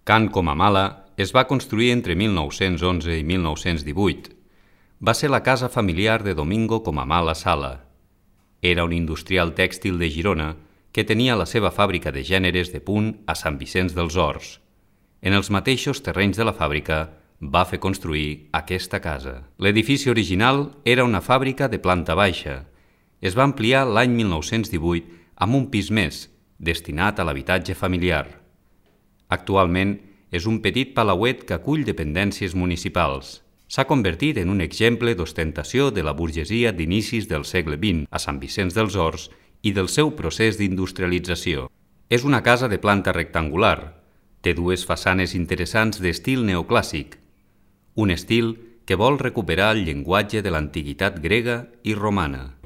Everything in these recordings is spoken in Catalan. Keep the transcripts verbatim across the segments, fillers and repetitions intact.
Can Comamala es va construir entre mil nou-cents onze i mil nou-cents divuit. Va ser la casa familiar de Domingo Comamala Sala. Era un industrial tèxtil de Girona que tenia la seva fàbrica de gèneres de punt a Sant Vicenç dels Horts. En els mateixos terrenys de la fàbrica va fer construir aquesta casa. L'edifici original era una fàbrica de planta baixa. Es va ampliar l'any mil nou-cents divuit amb un pis més, destinat a l'habitatge familiar. Actualment és un petit palauet que acull dependències municipals. S'ha convertit en un exemple d'ostentació de la burgesia d'inicis del segle vint a Sant Vicenç dels Horts i del seu procés d'industrialització. És una casa de planta rectangular. Té dues façanes interessants d'estil neoclàssic, un estil que vol recuperar el llenguatge de l'antiguitat grega i romana.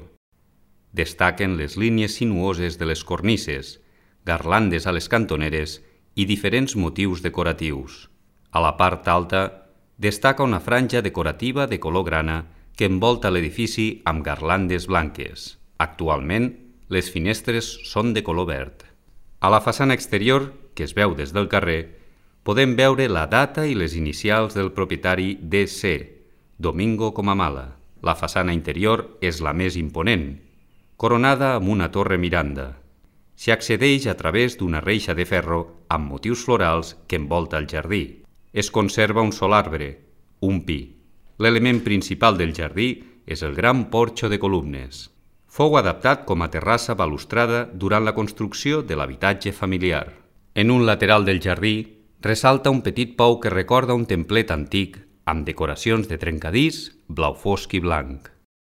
Destaquen les línies sinuoses de les cornises, garlandes a les cantoneres i diferents motius decoratius. A la part alta destaca una franja decorativa de color grana que envolta l'edifici amb garlandes blanques. Actualment, les finestres són de color verd. A la façana exterior, que es veu des del carrer, podem veure la data i les inicials del propietari D C, Domingo Comamala. La façana interior és la més imponent, coronada amb una torre miranda. S'hi accedeix a través d'una reixa de ferro amb motius florals que envolta el jardí. Es conserva un sol arbre, un pi. L'element principal del jardí és el gran porxo de columnes. Fou adaptat com a terrassa balustrada durant la construcció de l'habitatge familiar. En un lateral del jardí ressalta un petit pou que recorda un templet antic amb decoracions de trencadís, blau fosc i blanc.